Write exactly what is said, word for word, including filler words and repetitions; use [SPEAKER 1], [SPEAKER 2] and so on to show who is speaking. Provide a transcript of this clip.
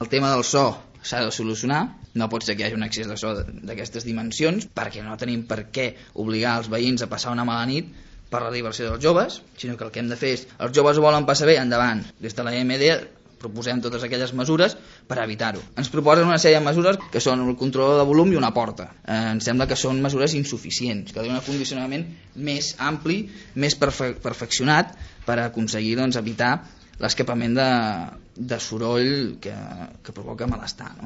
[SPEAKER 1] El tema del so s'ha de solucionar, no pot ser que hi hagi un excés de so d'aquestes dimensions, perquè no tenim per què obligar els veïns a passar una mala nit per la diversió dels joves, sinó que el que hem de fer és, els joves ho volen passar bé, endavant. Des de la E M D proposem totes aquelles mesures per evitar-ho. Ens proposen una sèrie de mesures que són el control de volum i una porta. Eh, ens sembla que són mesures insuficients, que donen un condicionament més ampli, més perfe perfeccionat per aconseguir doncs, evitar l'escapament de, de soroll que, que provoca malestar, no?